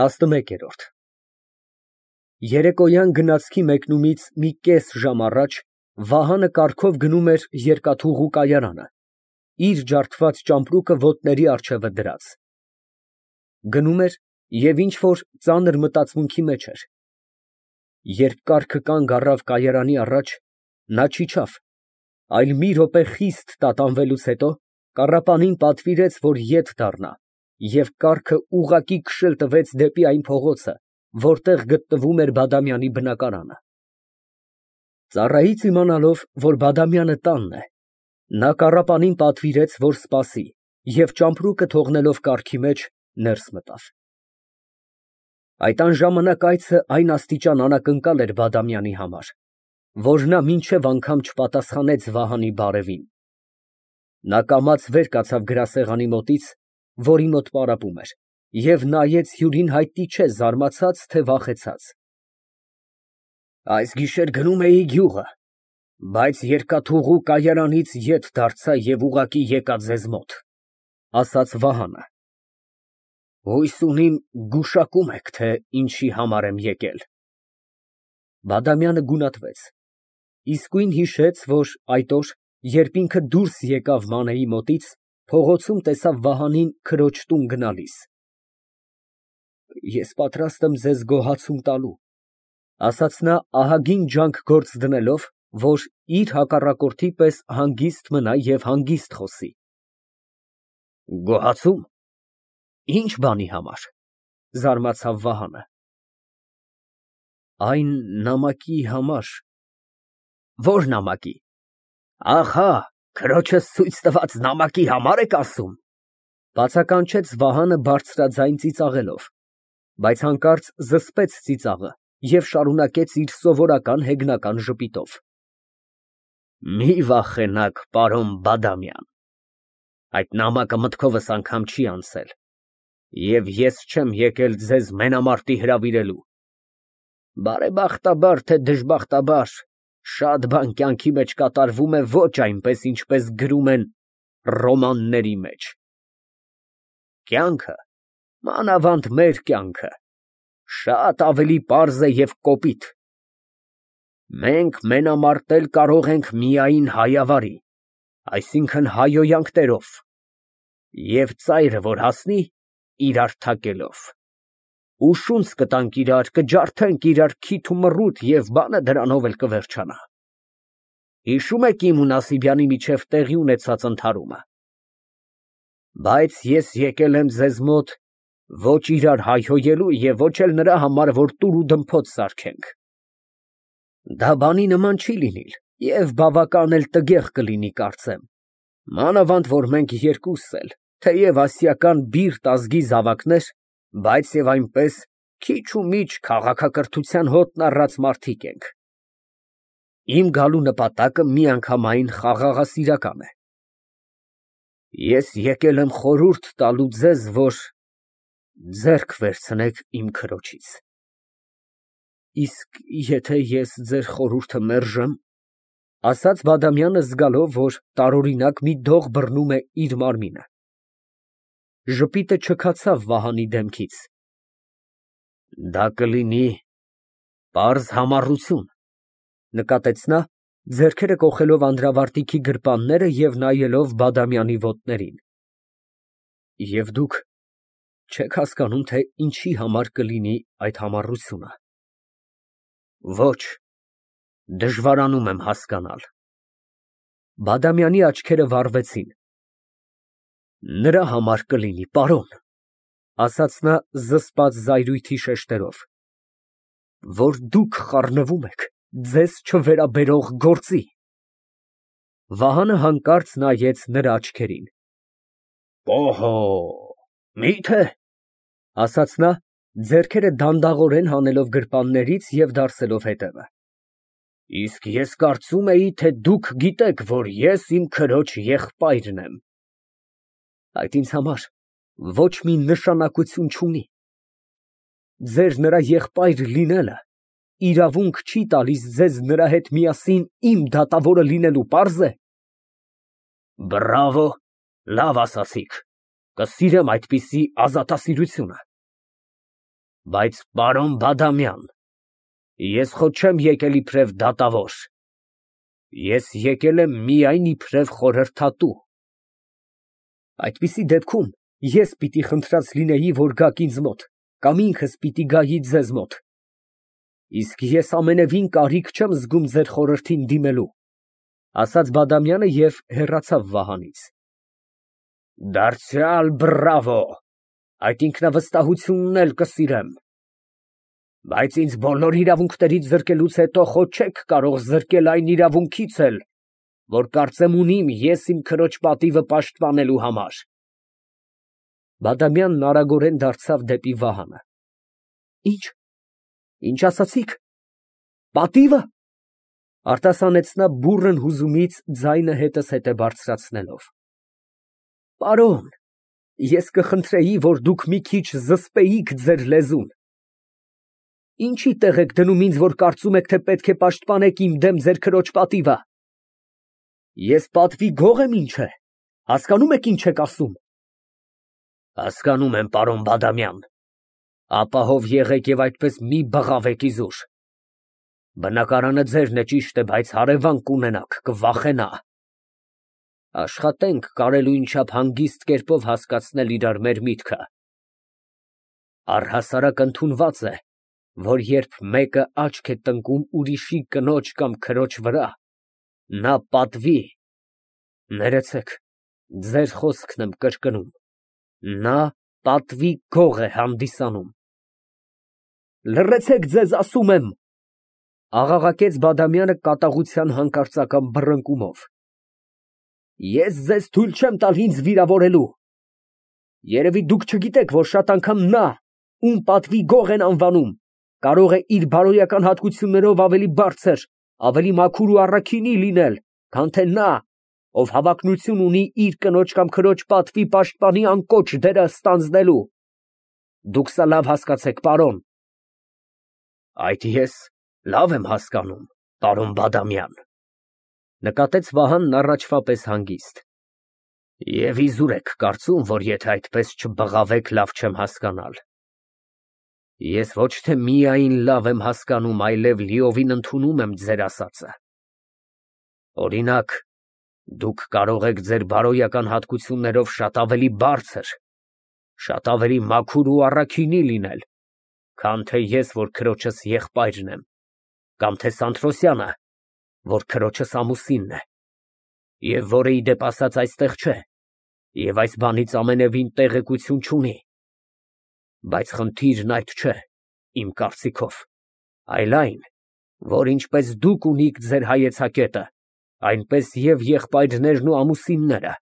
11։ Երեկոյան գնացքի մեկնումից մի կես ժամ առաջ Վահանը կառքով գնում էր երկաթուղու կայարանը, իր ջարդված ճամպրուկը ոտների առջևը դրած։ Գնում էր և ինչ֊որ ծանր մտածմունքի մեջ էր, երբ կառքը կանգ առավ կայարանի առաջ, նա չիջավ, այլ մի րոպե խիստ տատանվելուց հետո կառապանին պատվիրեց, որ ետ դառնա, և կառքը ուղղակի քշել տվեց դեպի այն փողոցը, որտեղ գտնվում էր Բադամյանի բնակարանը։ Ծառայից իմանալով, որ Բադամյանը տանն է, նա կառապանին պատվիրեց, որ սպասի, և ճամպրուկը թողնելով կառքի մեջ, ներս մտավ։ Այդ անժամանակ այցը այն աստիճան անակնկալ էր Բադամյանի համար, որ նա մինչև անգամ չպատասխանեց Վահանի բարևին։ Նա կամաց վեր կացավ գրասեղանի մոտից, որի մոտ պարապում էր, և նայեց հյուրին հայտնի չէ զարմացած, թե վախեցած։ Այս գիշեր գնում էի գյուղը, բայց երկաթուղու կայարանից ետ դարձա և ուղղակի եկա ձեզ մոտ, ֊ ասաց Վահանը։ Հույս ունիմ գուշակում եք, թե ինչի համար եմ եկել։ Բադամյանը գունատվեց, իսկույն հիշեց, որ այդ օր, երբ ինքը դուրս եկավ Մանեի մոտից, փողոցում տեսավ Վահանին քրոջ տուն գնալիս։ Ես պատրաստ եմ ձեզ գոհացում տալու, ֊ ասաց նա ահագին ջանք գործ դնելով, որ իր հակառակորդի պես հանգիստ մնա և հանգիստ խոսի։ Գոհացու՞մ, ինչ բանի համար, ֊ զարմացավ Վահանը։ Այն նամակի համար։ Ո՞ր նամակի։ Ահա, քրոջս ցույց տված նամակի համար եք ասում, ֊ բացականչեց Վահանը բարձրաձայն ծիծաղելով, բայց հանկարծ զսպեց ծիծաղը և շարունակեց իր սովորական հեգնական ժպիտով։ Մի վախենաք, պարոն Բադամյան, այդ նամակը մտքովս անգամ չի անցել, և ես չեմ եկել ձեզ մենամարտի հրավիրելու։ Բարեբախտաբար, թե դժբախտաբար, շատ բան կյանքի մեջ կատարվում է ոչ այնպես, ինչպես գրում են ռոմանների մեջ։ Կյանքը, մանավանդ մեր կյանքը, շատ ավելի պարզ է և կոպիտ։ Մենք մենամարտել կարող ենք միայն հայավարի, այսինքն հայհոյանքներով, և ծայրը որ հասնի, իրար թակելով։ Ուշունց կտանք իրար, կջարդենք իրար քիթ ու մռութ և բանը դրանով էլ կվերջանա։ Հիշո՞ւմ եք իմ ու Նասիբյանի միջև տեղի ունեցած ընդհարումը։ Բայց ես եկել եմ ձեզ մոտ ոչ իրար հայհոյելու և ոչ էլ նրա համար, որ տուր ու դմփոց սարքենք։ Դա բանի նման չի լինիլ և բավական էլ տգեղ կլինի, կարծեմ, մանավանդ որ մենք երկուսս էլ, թեև ասիական բիրտ ազգի զավակներ, բայց և այնպես քիչ ու միչ քաղաքակրթության հոտն առած մարդիկ ենք։ Իմ գալու նպատակը միանգամայն խաղաղասիրական է։ Ես եկել եմ խորհուրդ տալու ձեզ, որ ձեռք վերցնեք իմ քրոջից։ Իսկ եթե ես ձեր խորհուրդը մերժեմ, ֊ ասաց Բադամյանը, զգալով, որ տարօրինակ մի դող բռնում է իր մարմինը։ Ժպիտը չքացավ Վահանի դեմքից։ Դա կլինի պարզ համառություն, ֊ նկատեց նա, ձեռքերը կոխելով անդրավարտիքի գրպանները և նայելով Բադամյանի ոտներին։ Եվ դուք չեք հասկանում, թե ինչի համար կլինի այդ համառությունը։ Ոչ, դժվարանում եմ հասկանալ։ Բադամյանի աչքերը վառվեցին։ Նրա համար կլինի, պարոն, ֊ ասաց նա զսպած զայրույթի շեշտերով, որ դուք խառնվում եք ձեզ չվերաբերող գործի։ Վահանը հանկարծ նայեց նրա աչքերին։ Օհո, մի՞թե, ֊ ասաց նա, ձեռքերը դանդաղորեն հանելով գրպաններից և դարսելով հետևը։ Իսկ ես կարծում էի, թե դուք գիտեք, որ ես իմ քրոջ եղբայրն եմ։ Այդ ինձ համար ոչ մի նշանակություն չունի։ Ձեր նրա եղբայր լինելը իրավունք չի տալիս ձեզ նրա հետ միասին իմ դատավորը լինելու, պարզ է։ Բռավո, լավ ասացիք, կսիրեմ այդպիսի ազատասիրությունը։ Բայց պարոն Բադամյան, ես խո չեմ եկել իբրև դատավոր, ես եկել եմ միայն իբրև խորհրդատու։ Այդպիսի դեպքում ես պիտի խնդրած լինեի, որ գաք ինձ մոտ, կամ ինքս պիտի գայի ձեզ մոտ։ Իսկ ես ամենևին կարիք չեմ զգում ձեր խորհրդին դիմելու, ասաց Բադամյանը և հեռացավ Վահանից։ Դարձյալ բրավո, այդ ինքնավստահությունն էլ կսիրեմ։ Բայց ինձ բոլոր իրավունքներից զրկելուց հետո խո չեք կարող զրկել այն իրավունքից էլ, որ կարծեմ ունիմ ես իմ քրոջ պատիվը պաշտպանելու համար։ Բադամյանն արագորեն դարձավ դեպի Վահանը։ Ինչ ասացիք, պատիվը, արտասանեց նա բուռն հուզումից ձայնը հետզհետե բարձրացնելով։ Պարոն, ես կխնդրեի, որ դուք մի քիչ զսպեիք ձեր լեզուն։ Ինչի տեղ եք դնում ինձ, որ կարծում եք, թե պետք է պաշտպանեք իմ դեմ ձեր քրոջ պատիվը։ Ես պատվի գող եմ, ինչ է, հասկանում եք ինչ եք ասում։ Հասկանում եմ, պարոն Բադամյան, ապահով եղեք և այդպես մի բղավեք իզուր։ Բնակարանը ձերն է, ճիշտ է, բայց հարևան կունենաք, կվախենա։ Աշխատենք կարելույն չափ հանգիստ կերպով հասկացնել իրար մեր միտքը։ Առհասարակ ընդունված է, որ երբ մեկը աչք է տնկում ուրիշի կնոջ կամ քրոջ վրա, նա պատվի, ներեցեք, ձեր խոսքն եմ կրկնում, նա պատվի գող է հանդիսանում։ Լռեցեք ձեզ ասում եմ, աղաղակեց Բադամյանը կատաղության հանկարծական բռնկումով։ Ես ձեզ թույլ չեմ տալ ինձ վիրավորելու։ Երևի դուք չգիտեք, որ շատ անգամ նա, ում պատվի գող են անվանում, կարող է իր բարոյական հատկություններով ավելի բարձր, ավելի մաքուր ու առաքինի լինել, քան թե նա, ով հավակնություն ունի իր կնոջ կամ քրոջ պատվի պաշտպանի անկոչ դերը ստանձնելու։ Դուք սա լավ հասկացեք, պարոն։ Այդ ես լավ եմ հասկանում, պարոն Բադամյան, նկատեց Վահանն առաջվա պես հանգիստ։ Եվ իզուր եք կարծում, որ եթե այդպես չբղավեք, լավ չեմ հասկանալ։ Ես ոչ թե միայն լավ եմ հասկանում, այլև լիովին ընդունում եմ ձեր ասածը։ Օրինակ, դուք կարող եք ձեր բարոյական հատկություններով շատ ավելի բարձր, շատ ավելի մաքուր ու առաքինի լինել, քան թե ես, որ քրոջս եղբայրն եմ, կամ թե Սանթրոսյանը, որ քրոջս ամուսինն է, և որը ի դեպ ասած այստեղ չէ, և այս բանից ամենևին տեղեկություն չունի։ Բայց խնդիրն այդ չէ, իմ կարծիքով, այլ այն, որ ինչպես դուք ունիք ձեր հայեցակետը, այնպես և եղբայրներն ու ամուսինները,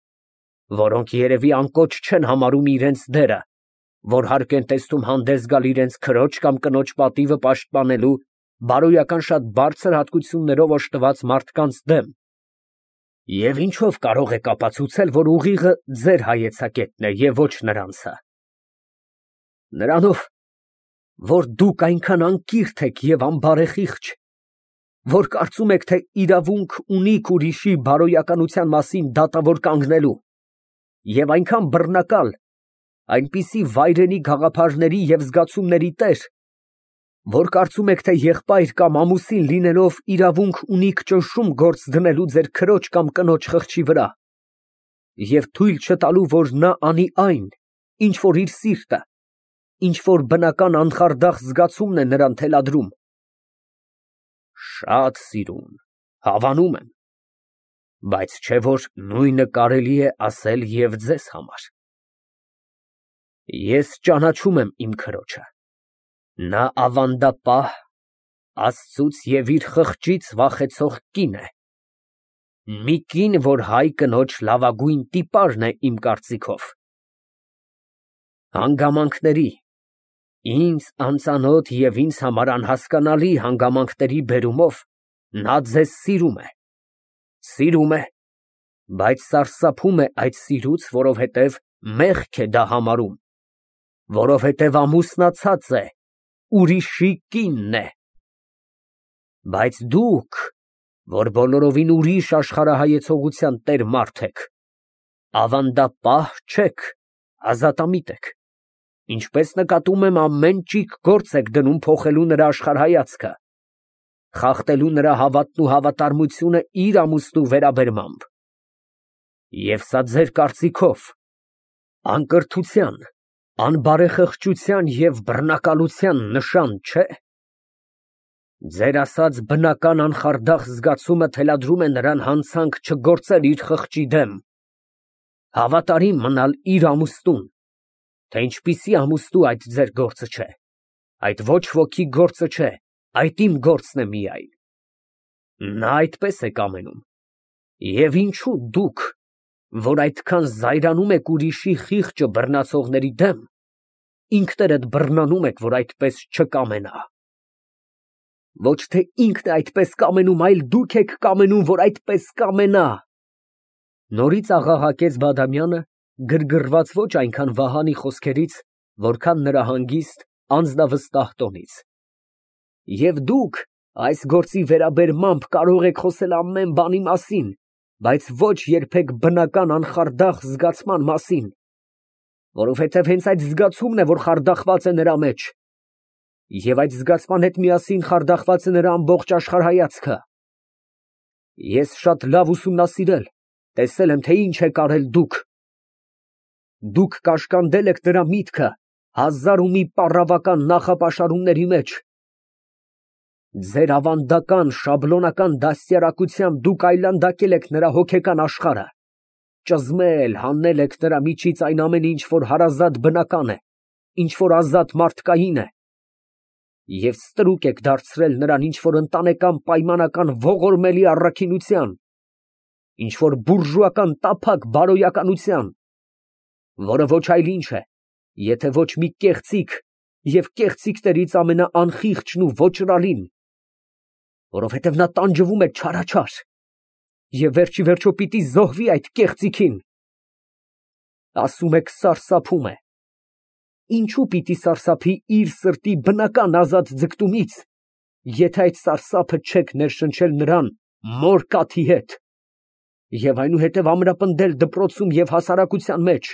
որոնք երևի անկոչ չեն համարում իրենց դերը, որ հարկ են տեսնում հանդես գալ իրենց քրոջ կամ կնոջ պատիվը պաշտպանելու բարոյական շատ բարձր հատկություններով օժտված մարդկանց դեմ։ Եվ ինչով կարող եք ապացուցել, որ ուղիղը ձեր հայեցակետն է և ոչ նրանցը։ Նրանով, որ դուք այնքան անկիրթ եք և անբարեխիղճ, որ կարծում եք, թե իրավունք ունիք ուրիշի բարոյականության մասին դատավոր կանգնելու, և այնքան բռնակալ, այնպիսի վայրենի գաղափարների և զգացումների տեր, որ կարծում եք, թե եղբայր կամ ամուսին լինելով իրավունք ունիք ճնշում գործ դնելու ձեր քրոջ կամ կնոջ խղճի վրա, և թույլ չտալու, որ նա անի այն, ինչ որ իր սիրտը, ինչ որ բնական անխարդախ զգացումն է նրան թելադրում։ Շատ սիրուն, հավանում եմ, բայց չէ որ նույնը կարելի է ասել և ձեզ համար։ Ես ճանաչում եմ իմ քրոջը, նա ավանդապահ, Աստծուց և իր խղճից վախեցող կին է, մի կին, որ հայ կնոջ լավագույն տիպարն է իմ կարծիքով։ Հանգամանքների, ինձ անծանոթ և ինձ համար անհասկանալի հանգամանքների բերումով նա ձեզ սիրում է, բայց սարսափում է այդ սիրուց, որովհետև մեղք է դա համարում, որովհետև ամուսնացած է, ուրիշի կինն է։ Բայց դուք, որ բոլորովին ուրիշ աշխարհայեցողության տեր մարդ եք, ավանդապահ չեք, ազատամիտ եք, Ինչպես նկատում եմ, ամեն ճիգ գործ եք դնում փոխելու նրա աշխարհայացքը, խախտելու նրա հավատն ու հավատարմությունը իր ամուսնու վերաբերմամբ։ Եվ սա ձեր կարծիքով անկրթության, անբարեխղճության և բռնակալության նշան չէ՞։ Ձեր ասած բնական անխարդախ զգացումը թելադրում է նրան հանցանք չգործել իր խղճի դեմ, հավատարիմ մնալ իր ամուսնուն, թե ինչպիսի ամուսնու այդ ձեր գործը չէ, այդ ոչ ոքի գործը չէ, այդ իմ գործն է միայն։ Նա այդպես է կամենում։ Եվ ինչու դուք, որ այդքան զայրանում եք ուրիշի խիղճը բռնացողների դեմ, ինքներդ բռնանում եք, որ այդպես չկամենա։ Ոչ թե ինքն է այդպես կամենում, այլ դուք եք կամենում, որ այդպես կամենա։ Նորից աղաղակեց Բադամյանը, գրգռված ոչ այնքան Վահանի խոսքերից, որքան նրա հանգիստ, անձնավստահ տոնից։ Եվ դուք այս գործի վերաբերմամբ կարող եք խոսել ամեն բանի մասին, բայց ոչ երբեք բնական անխարդախ զգացման մասին, որովհետև հենց այդ զգացումն է, որ խարդախված է նրա մեջ, և այդ զգացման հետ միասին խարդախված է նրա ամբողջ աշխարհայացքը։ Ես շատ լավ ուսումնասիրել, տեսել եմ, թե ինչ եք արել դուք։ Դուք կաշկանդել եք նրա միտքը հազար ու մի պառավական նախապաշարումների մեջ։ Ձեր ավանդական, շաբլոնական դաստիարակությամբ դուք այլանդակել եք նրա հոգեկան աշխարհը, ճզմել, հանել եք նրա միջից այն ամենը, ինչ որ հարազատ բնական է, ինչ որ ազատ մարդկային է, և ստրուկ եք դարձրել նրան ինչ-որ ընտանեկան պայմանական ողորմելի առաքինության, ինչ-որ բուրժուական տափակ բարոյականության, որը ոչ այլ ինչ է, եթե ոչ մի կեղծիք և կեղծիքներից ամենաանխիղճն ու ոճրալին, որովհետև նա տանջվում է չարաչար և վերջիվերջո պիտի զոհվի այդ կեղծիքին։ Ասում եք սարսափում է։ Ինչու պիտի սարսափի իր սրտի բնական ազատ ձգտումից, եթե այդ սարսափը չեք ներշնչել նրան մոր կաթի հետ և այնուհետև ամրապնդել դպրոցում և հասարակության մեջ։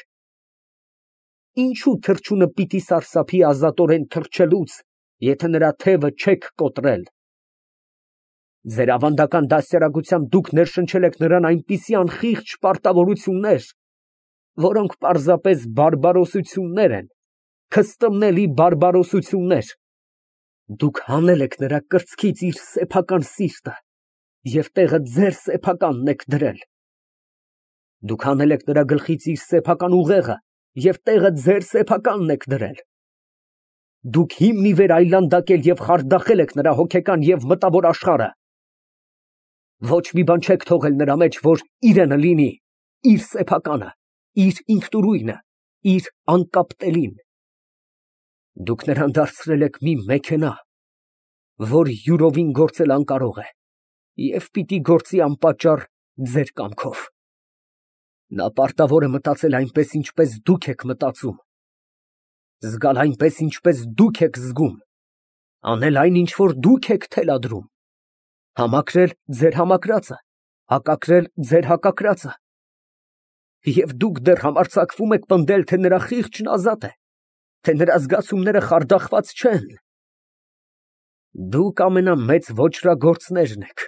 Ինչու թռչունը պիտի սարսափի ազատորեն թռչելուց, եթե նրա թևը չեք կոտրել։ Ձեր ավանդական դաստիարակությամբ դուք ներշնչել եք նրան այնպիսի անխիղճ պարտավորություններ, որոնք պարզապես բարբարոսություններ են, քստմնելի բարբարոսություններ։ Դուք հանել եք նրա կրծքից իր սեփական սիրտը և տեղը ձեր սեփականն եք դրել։ Դուք հանել եք նրա գլխից իր սեփական ուղեղը և տեղը ձեր սեփականն եք դրել։ Դուք հիմն ի վեր այլանդակել և խարդախել եք նրա հոգեկան և մտավոր աշխարհը։ Ոչ մի բան չեք թողել նրա մեջ, որ իրենը լինի, իր սեփականը, իր ինքնուրույնը, իր անկապտելին։ Դուք նրան դարձրել եք մի մեքենա, որ յուրովին գործել անկարող է և պիտի գործի անպատճառ ձեր կամքով։ Նա պարտավոր է մտածել այնպես, ինչպես դուք եք մտածում, զգալ այնպես, ինչպես դուք եք զգում, անել այն, ինչ որ դուք եք թելադրում, համակրել ձեր համակրածը, հակակրել ձեր հակակրածը։ Եվ դուք դեռ համարձակվում եք պնդել, թե նրա խիղճն ազատ է, թե նրա զգացումները խարդախված չեն։ Դուք ամենամեծ ոճրագործներն եք։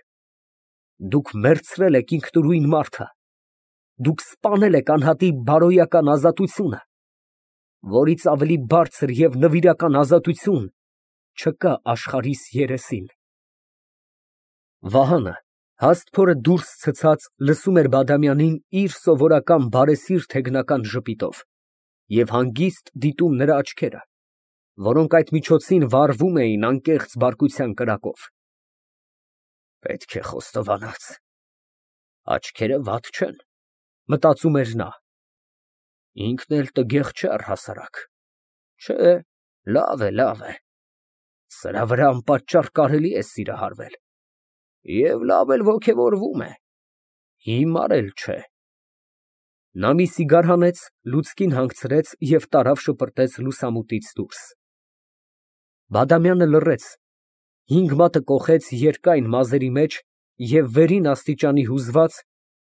Դուք մերցրել եք ինքնուրույն մարդը։ Դուք սպանել եք անհատի բարոյական ազատությունը, որից ավելի բարձր և նվիրական ազատություն չկա աշխարհիս երեսին։ Վահանը հաստ փորը դուրս ցցած լսում էր Բադամյանին իր սովորական բարեսիրտ հեգնական ժպիտով և հանգիստ դիտում նրա աչքերը, որոնք այդ միջոցին վառվում էին անկեղծ բարկության կրակով։ Պետք է խոստովանած, աչքերը վատ չեն, մտածում էր նա։ Ինքն էլ տգեղ չէ առհասարակ։ Չէ, լավ է, լավ է։ Սրա վրա անպատճառ կարելի է սիրահարվել։ Եվ լավ էլ ոգևորվում է։ Հիմար էլ չէ։ Նա մի սիգար հանեց, լուցկին հանգցրեց և տարավ շպրտեց լուսամուտից դուրս։ Բադամյանը լռեց, 5 մատը կոխեց երկայն մազերի մեջ և վերին աստիճանի հուզված,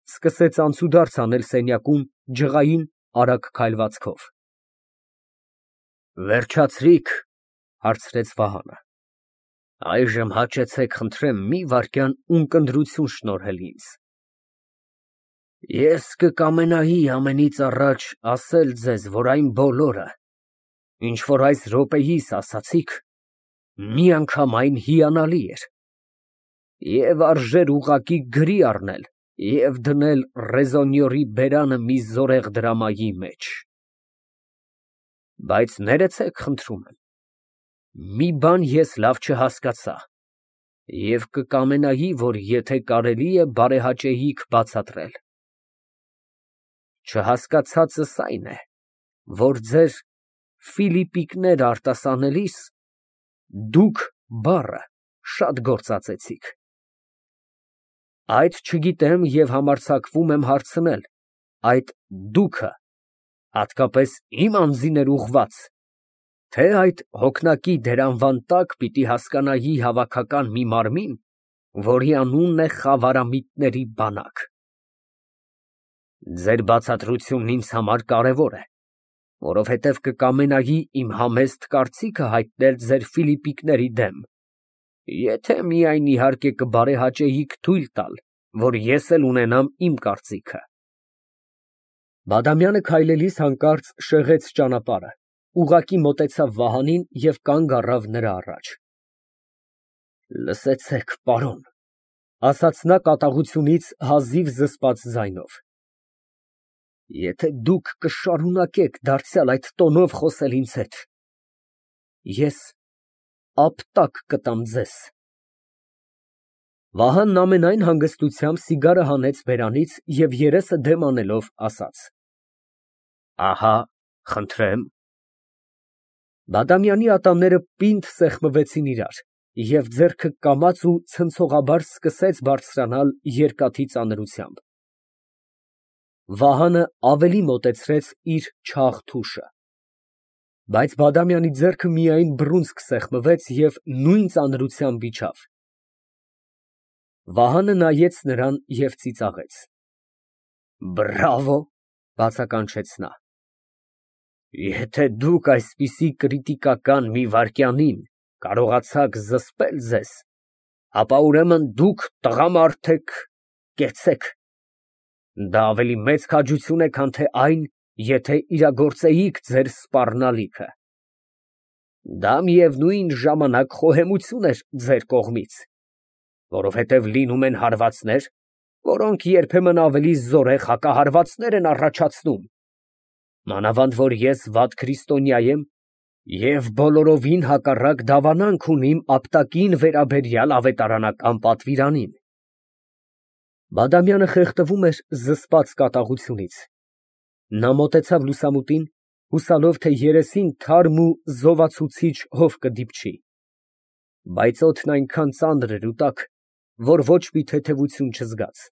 սկսեց անցուդարձ անել սենյակում ջղային արագ քայլվածքով։ Վերջացրիք, հարցրեց Վահանը։ Այժմ հաճեցեք, խնդրեմ, մի վայրկյան ունկնդրություն շնորհել ինձ։ Ես կկամենայի ամենից առաջ ասել ձեզ, որ այն բոլորը, ինչ որ այս րոպեիս ասացիք, միանգամայն հիանալի էր, և արժեր ուղղակի գրի առնել և դնել ռեզոնյորի բերանը մի զորեղ դրամայի մեջ։ Բայց ներեցեք, խնդրում եմ, մի բան ես լավ չհասկացա և կկամենայի, որ եթե կարելի է բարեհաճեիք բացատրել։ Չհասկացածս այն է, որ ձեր ֆիլիպիկներ արտասանելիս դուք բառը շատ գործածեցիք։ Այդ չգիտեմ և համարձակվում եմ հարցնել, այդ դուքը հատկապես իմ անձին էր ուղղված, թե այդ հոգնակի դերանվան տակ պիտի հասկանայի հավաքական մի մարմին, որի անունն է խավարամիտների բանակ։ Ձեր բացատրությունն ինձ համար կարևոր է, որովհետև կկամենայի իմ համեստ կարծիքը հայտնել ձեր ֆիլիպիկների դեմ, եթե միայն իհարկե կբարեհաճեիք թույլ տալ, որ ես էլ ունենամ իմ կարծիքը։ Բադամյանը քայլելիս հանկարծ շեղեց ճանապարհը, ուղղակի մոտեցավ Վահանին և կանգ առավ նրա առաջ։ Լսեցեք, պարոն, ասաց նա կատաղությունից հազիվ զսպած ձայնով, եթե դուք կշարունակեք դարձյալ այդ տոնով խոսել ինձ հետ, ես ապտակ կտամ ձեզ։ Վահանն ամենայն հանգստությամբ սիգարը հանեց բերանից և երեսը դեմ անելով ասաց. Ահա, խնդրեմ։ Բադամյանի ատամները պինդ սեղմվեցին իրար, և ձեռքը կամաց ու ցնցողաբար սկսեց բարձրանալ երկաթի ծանրությամբ։ Վահանը ավելի մոտեցրեց իր չաղ թուշը։ Բայց Բադամյանի ձեռքը միայն բռունցք սեղմվեց և նույն ծանրությամբ իջավ։ Վահանը նայեց նրան և ծիծաղեց։ Բրավո, բացականչեց նա։ Եթե դուք այսպիսի կրիտիկական մի վայրկյանին կարողացաք զսպել ձեզ, ապա ուրեմն դուք տղամարդ եք, կեցեք։ Դա ավելի մեծ քաջություն է, քան թե այն, եթե իրագործեիք ձեր սպառնալիքը։ Դա միևնույն ժամանակ խոհեմություն էր ձեր կողմից, որովհետև լինում են հարվածներ, որոնք երբեմն ավելի զորեղ հակահարվածներ են առաջացնում, մանավանդ որ ես վատ քրիստոնյա եմ և բոլորովին հակառակ դավանանք ունիմ ապտակին վերաբերյալ ավետարանական պատվիրանին։ Բադամյանը խեղդվում էր զսպած կատաղությունից։ Նա մոտեցավ լուսամուտին, հուսալով, թե երեսին թարմ ու զովացուցիչ հով կդիպչի, բայց օդն այնքան ծանր էր ու տաք, որ ոչ մի թեթևություն չզգաց։